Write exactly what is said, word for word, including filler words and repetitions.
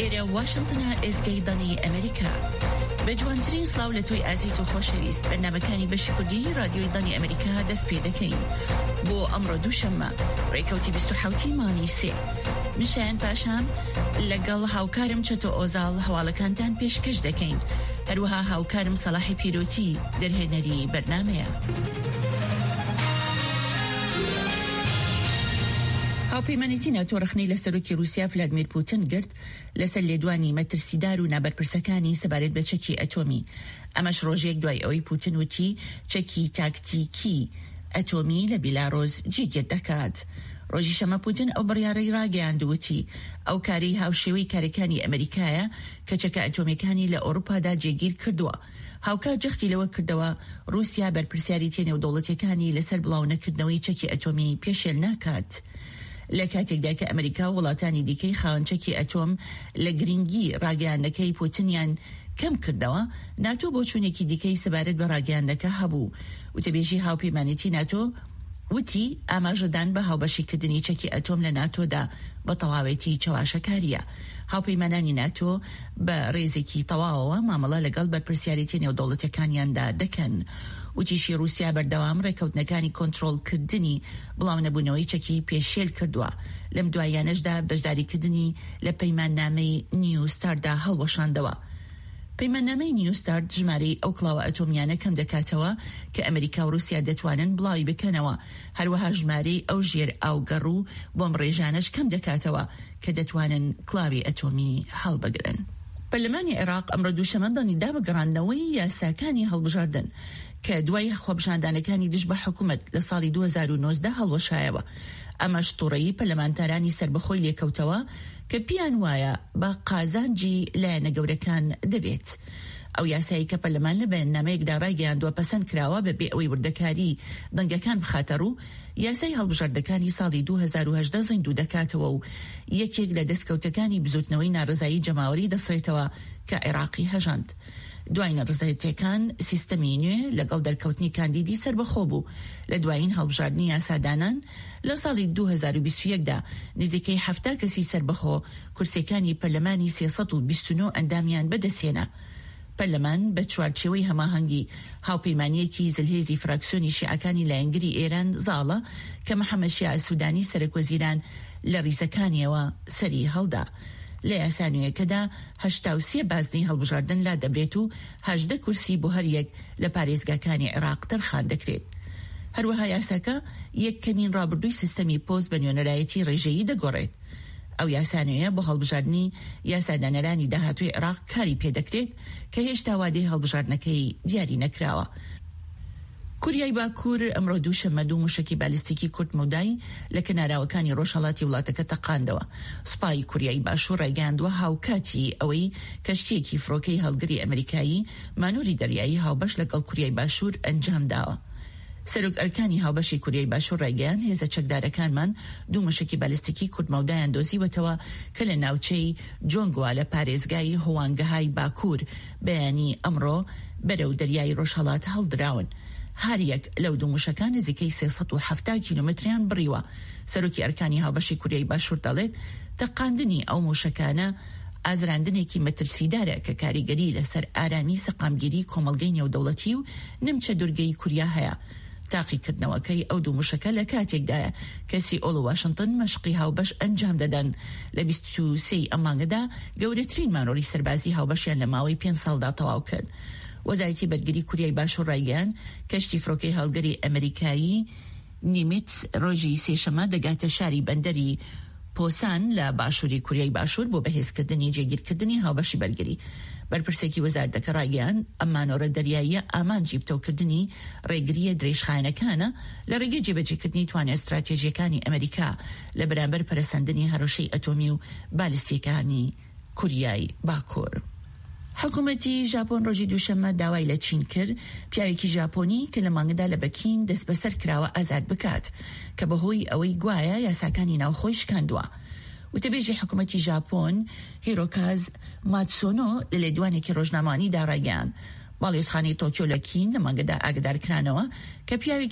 ئێرە واشنتنە، ئێزگەی دەنگی ئەمریکا. بە جوانترین سڵاو لە تۆی ئازیز و خۆشەویست، بەرنامەکانی بەشی کوردی رادیۆی دەنگی ئەمریکا دەست پێ دەکەین بۆ ئەمڕۆ دووشەممە ڕێکەوتی بیست و حەوت ی مانگی سێ. من شایان پاشام لەگەڵ هاوکارم چەتۆ ئۆزاڵ هەواڵەکانتان پێشکەش دەکەین. هەروەها هاوکارم سەڵاحی پیرۆتی دەرهێنەری بەرنامەیە. هاوپەیمانێتی ناتۆ ڕەخنەی لە سەرۆکی ڕووسیا ڤلادمیر پوتن گرت لەسەر لێدوانی مەترسیدار و نابەرپرسەکانی سەبارەت بە چەکی ئەتۆمی، ئەمەش ڕۆژێک دوای ئەوەی پوتن وتی چەکی تاکتیکی ئەتۆمی لە بیلاڕۆس جێگیر دەکات. ڕۆژی شەمە پوتن ئەو بڕیارەی ڕاگەیاند و وتی ئەو کارەی هاوشێوەی کارەکانی ئەمریکایە کە چەکە ئەتۆمیەکانی لە ئەوروپادا جێگیر کردووە. هاوکات جەختی لەوە کردەوە ڕووسیا بەرپرسیارێتیە نێودەوڵەتیەکانی لەسەر بڵاونەکردنەوەی چەکی ئەتۆمی پێشێل ناکات. لە کاتێکدا کە ئەمریکا و وڵاتانی دیکەی خاوەن چەکی ئەتۆم لە گرنگی ڕاگەیاندنەکەی پوتنیان کەم کردەوە، ناتۆ بۆچوونێکی دیکەی سەبارەت بە ڕاگەیاندنەکە هەبوو. وتەبێژی هاوپەیمانێتی ناتۆ وتی ئاماژەدان بە هاوبەشیکردنی چەکی ئەتۆم لە ناتۆدا بە تەواوێتی چەواشەکارییە. هاوپەیمانانی ناتۆ بە ڕێزێکی تەواوەوە مامەڵە لەگەڵ بەرپرسیارێتیە نێودەوڵەتیەکانیاندا دەکەن. وتیشی ڕووسیا بەردەوام ڕێککەوتنەکانی کۆنترۆڵکردنی بڵاونەبوونەوەی چەکی پێشێل کردووە، لەم دواییانەشدا بەشداریکردنی لە پەیماننامەی نیو ستارتدا هەڵوەشاندەوە. پەیماننامەی نیو ستارت ژمارەی ئەو کڵاوە ئەتۆمیانە کەم دەکاتەوە کە ئەمریکا و ڕووسیا دەتوانن بڵاوی بکەنەوە، هەروەها ژمارەی ئەو ژێر ئاوگەڕ و بۆمبڕێژانەش کەم دەکاتەوە کە دەتوانن کڵاوی ئەتۆمی هەڵبگرن. پەرلەمانی عێراق ئەمڕۆ دووشەممە دەنگی دا بە گەڕاندنەوەی یاساکانی هەڵبژاردن کە دوای خۆپیشاندانەکانی دژ بە حکومەت لە ساڵی دوو هەزار و نۆزدە هەڵوەشایەوە، ئەمەش توڕەیی پەرلەمانتارانی سەربەخۆی لێکەوتەوە کە پیان وایە بە قازانجی لایەنە گەورەکان دەبێت. ئەو یاسایەی کە پەرلەمان لە بەیاننامەیەکدا ڕایگەیاندووە پەسەند کراوە بەبێ ئەوەی وردەکاری دەنگەکان بخاتەڕوو، یاسای هەڵبژاردنەکانی ساڵی دوو هەزار و هەژدە زیندوو دەکاتەوە و یەکێک لە دەستکەوتەکانی بزووتنەوەی ناڕەزایی جەماوەری دەسڕێتەوە کە عێراقی هەژاند. دوای ناڕەزایەتیەکان سیستەمی نوێ لەگەڵ دەرکەوتنی کاندیدی سەربەخۆ بوو لە دوایین هەڵبژاردنی یاسادانان لە ساڵی دوو هەزار و بیست و یەک دا نزیکەی حەفتا کەسی سەربەخۆ کورسیەکانی پەرلەمانی سێ سەد و بیست و نۆ ئەندامیان بەدەستهێنا. پەرلەمان بە چوارچێوەی هەماهەنگی هاوپەیمانییەکی زلهێزی فراکسیۆنی شیعەکانی لایەنگری ئێران زاڵە کە محەمەد شیاع سودانی سەرەکوەزیران لە ڕیزەکانیەوە سەری هەڵدا. لە یاسا نوێیەکەدا هەشتا و سێ بازنەی هەڵبژاردن لادەبرێت و هەژدە کورسی بۆ هەر یەک لە پارێزگاکانی عێراق تەرخان دەکرێت. هەروەها یاساکە یەکەمین ڕابردووی سیستەمی پۆست بە نوێنەرایەتی ڕێژەیی دەگۆڕێت. ئەو یاسا نوێیە بۆ هەڵبژاردنی یاسادانەرانی داهاتووی عێراق کاری پێدەکرێت کە هێشتا وادەی هەڵبژاردنەکەی دیاری نەکراوە. کوریای باکوور ئەمڕۆ دووشەممە دوو موشەکی بالیستیکی کورت مەودای لە کەناراوەکانی ڕۆژهەڵاتی وڵاتەکە تەقاندەوە. سوپای کوریای باشوور ڕایگەیاندووە هاوکاتی ئەوەی کەشتییەکی فڕۆکەی هەڵگری ئەمریکایی مانۆری دەریایی هاوبەش لەگەڵ کوریای باشوور ئەنجامداوە. سەرۆک ئەرکانی هاوبەشی کوریای باشوور ڕایگەیاند هێزە چەکدارەکانمان دوو موشەکی بالیستیکی کورتمەودایان دۆزیوەتەوە کە لە ناوچەی جۆنگوا لە پارێزگای هوانگهای باکوور بەیانی ئەمڕۆ بەرەو دەریای ڕۆژهەڵات هەڵدراون. هەریەک لەو دوو موشەکە نزیکەی سێ سەد و حەفتا کیلۆمەتریان بڕیوە. سەرۆکی ئەرکانی هاوبەشی کوریای باشوور دەڵێت تەقاندنی ئەو موشەکانە ئازراندنێکی مەترسیدارە کە کاریگەری لەسەر ئارامی سەقامگیری کۆمەڵگەی نێودەوڵەتی و نمچە دورگەی کوریا هەیە. تاقیکردنەوەکەی ئەو دوو موشەکە لە کاتێکدایە کە سیئۆل و واشنتن مەشقی هاوبەش ئەنجام دەدەن لە بیست و سێ ی ئەم مانگەدا گەورەترین مانۆری سەربازی هاوبەشیان لە ماوەی پێنج ساڵدا تەواو کرد. وەزارەتی بەرگری کوریای باشوور ڕایگەیاند کەشتی فڕۆکەی هەڵگری ئەمریکایی نیمیتز ڕۆژی سێشەممە دەگاتە شاری بەندەری پۆسان لە باشووری کوریای باشوور بۆ بەهێزکردنی جێگیرکردنی هاوبەشی بەرگری. بەرپرسێکی وەزارەتەکە ڕایگەیاند، ئەم مانۆرە دەریاییە ئامانجی پتەوکردنی ڕێگرییە درێژخایەنەکانە لە ڕێگەی جێبەجێکردنی توانا ستراتێژییەکانی ئەمریکا لە بەرامبەر پەرەسەندنی هەڕەشەی ئەتۆمی و بالیستییەکانی کوریای باکوور. حکومەتی ژاپۆن ڕۆژی دووشەممە داوای لە چین کرد پیاوێکی ژاپۆنی کە لە مانگدا لە بەکین دەستبەسەر کراوە ئازاد بکات کە بەهۆی ئەوەی گوایە یاساکانی ناوخۆی شکاندووە. وتەبێژی حکومەتی ژاپۆن هیرۆکاز ماتسۆنۆ لە لێدوانێکی ڕۆژنامەوانیدا ڕایگەیاند باڵیۆزخانەی تۆکیۆ لە کین لە مانگەدا ئاگادارکرانەوە کە پیاوێکی